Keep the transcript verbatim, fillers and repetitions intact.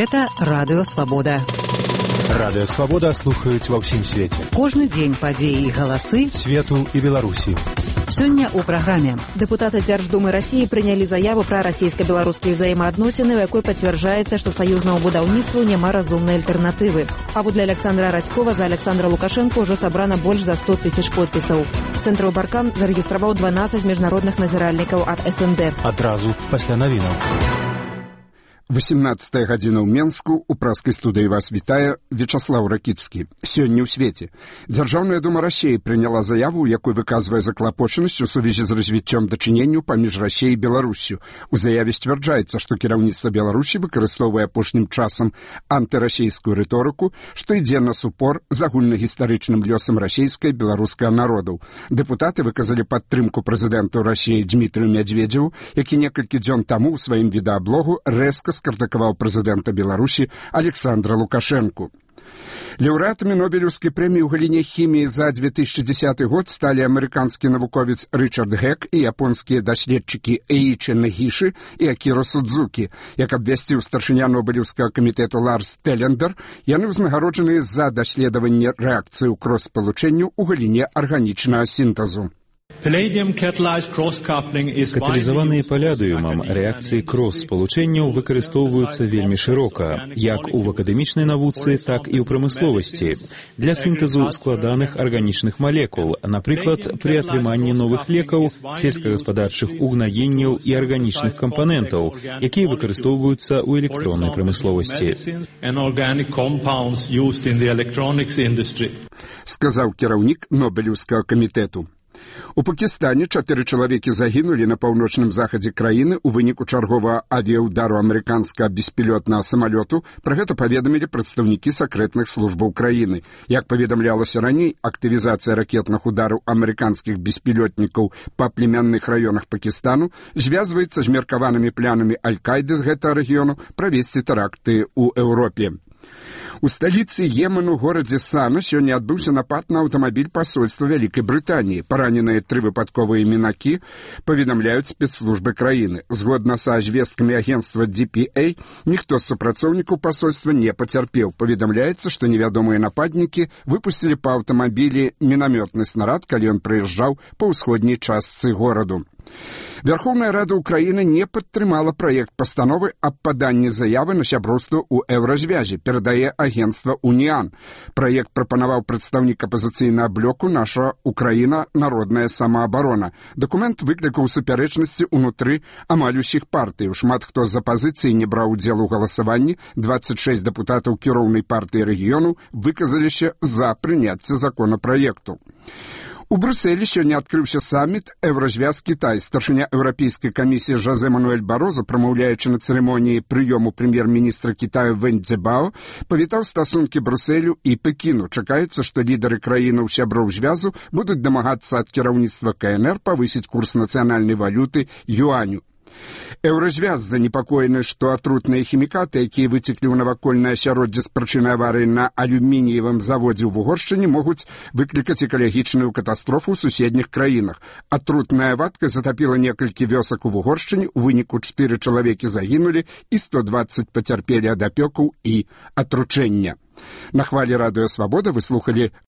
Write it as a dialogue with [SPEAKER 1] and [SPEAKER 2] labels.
[SPEAKER 1] Гэта Радыё Свабода.
[SPEAKER 2] Радыё Свабода слухаюць ва ўсім свеце.
[SPEAKER 1] Кожны дзень падзеі і галасы
[SPEAKER 2] свету і Беларусі.
[SPEAKER 1] Сёння ў праграме.
[SPEAKER 3] Дэпутаты Дзярждумы Расіі прынялі заяву пра расійска-беларускія ўзаемаадносіны, у якой пацвярджаецца, што саюзнаму будаўніцтву няма разумнай альтэрнатывы. Паводле Александра Раськова за Александра Лукашенко ўжо сабрана больш за сто тысяч подпісаў. Цэнтр Баркан зарэгістраваў дванаццаць міжнародных назіральнікаў ад эс эн дэ.
[SPEAKER 2] Адразу пасля навінаў.
[SPEAKER 4] восемнадцатая гадзіна ў Менску. У праскай студыі вас вітае Вячаслаў Ракіцкі. Сёння ў свеце. Дзяржаўная дума Расіі прыняла заяву, у якой выказвае заклапочанасць у сувязі з развіццём дачыненняў паміж Расіяй і Беларуссю. У заяве сцвярджаецца, што кіраўніцтва Беларусі выкарыстоўвае апошнім часам антырасійскую рыторыку, што ідзе на супор з агульнагістарычным лёсам расійскай і беларускага народаў. Дэпутаты выказалі падтрымку прэзідэнту Расіі Дмітрию Медведзеву, які некалькі дзён таму ў сваім відэаблогу рэзка скрытыкаваў прэзідэнта Беларусі Александра Лукашенку. Лаўрэатамі Нобелеўскай прэміі ў галіне хіміі за две тысячи десятый год сталі амерыканскі навуковец Рычард Гек і японскія даследчыкі Эічі Нагіші і Акіра Судзукі. Як абвясціў старшыня Нобелеўскага камітэту Ларс Телендер, яны ўзнагароджаныя за даследаванне рэакцыі ў крос-спалучэнню ў галіне арганічнага сінтэзу.
[SPEAKER 5] Каталізаваныя палядыумам рэакцыі крос-спалучэнняў выкарыстоўваюцца вельмі шырока, як у акадэмічнай навуцы, так і ў прамысловасці, для сінтэзу складаных арганічных малекул, напрыклад, пры атрыманні новых лекаў, сельскагаспадарчых угнаенняў і арганічных кампанентаў, якія выкарыстоўваюцца ў электроннай прамысловасці.
[SPEAKER 4] Сказаў кіраўнік Нобелеўскага камітэту. У Пакістане чатыры чалавекі загінулі на паўночным захадзе краіны ў выніку чарговага авіяўдару амерыканскага беспілотнага самалёту. Пра гэта паведамілі прадстаўнікі сакрэтных службаў краіны. Як паведамлялася раней, актывізацыя ракетных удараў амерыканскіх беспілотнікаў па племянных раёнах Пакістану звязваецца з меркаванымі планамі Аль-Каіды з гэтага рэгіёну правесці тэракты ў Еўропе. У сталіцы Йемену, горадзе Сана, сёння адбыўся напад на аўтамабіль пасольства Вялікай Брытаніі. Параненыя тры выпадковыя мінакі, паведамляюць спецслужбы краіны. Згодна са звесткамі агенцтва ди пі эй, ніхто з супрацоўнікаў пасольства не пацярпеў. Паведамляецца, што невядомыя нападнікі выпусцілі па аўтамабілі мінамётны снарад, калі ён прыязджаў па ўсходняй частцы гораду. Верховная Рада Украіны не падтрымала праект пастановы аб паданні заявы на сяброўства ў еўразвязе, перадае агенцтва «Уніан». Праект прапанаваў прадстаўнік апазіцыйнага блоку «Наша Украіна. Народная самаабарона». Дакумент выклікаў супярэчнасці ўнутры амаль усіх партый. Шмат хто з апазіцыі не браў удзел у галасаванні. дваццаць шэсць дэпутатаў кіроўнай партыі рэгіёну выказаліся за прыняцце законапраекту. У Брюсселі сёння адкрыўся саміт «Еўразвяз-Кітай». Старшыня Еўрапейскай камісіі Жозе Мануэль Бароза, прамаўляючы на цырымоніі прыёму прэм'ер-міністра Кітаю Вэнь Цзябао, павітаў стасункі Брюсселю і Пекіну. Чакаецца, што лідары краінаў сяброў звязу будуць дамагацца ад кіраўніцтва ка эн эр павысіць курс нацыянальнай валюты юаню. Еўразвяз занепакоены, што атрутныя хімікаты, якія выцеклі ў навакольнае асяроддзе з прычыны аварыі на алюмініевым заводзе ў Угоршчыне, могуць выклікаць экалагічную катастрофу ў суседніх краінах. Атрутная вадкасць затапіла некалькі вёсак у Угоршчыне, у выніку чатыры чалавекі загінулі і сто дваццаць пацярпелі ад апёкаў і атручэння. На хвалі Радыё Свабода вы слухалі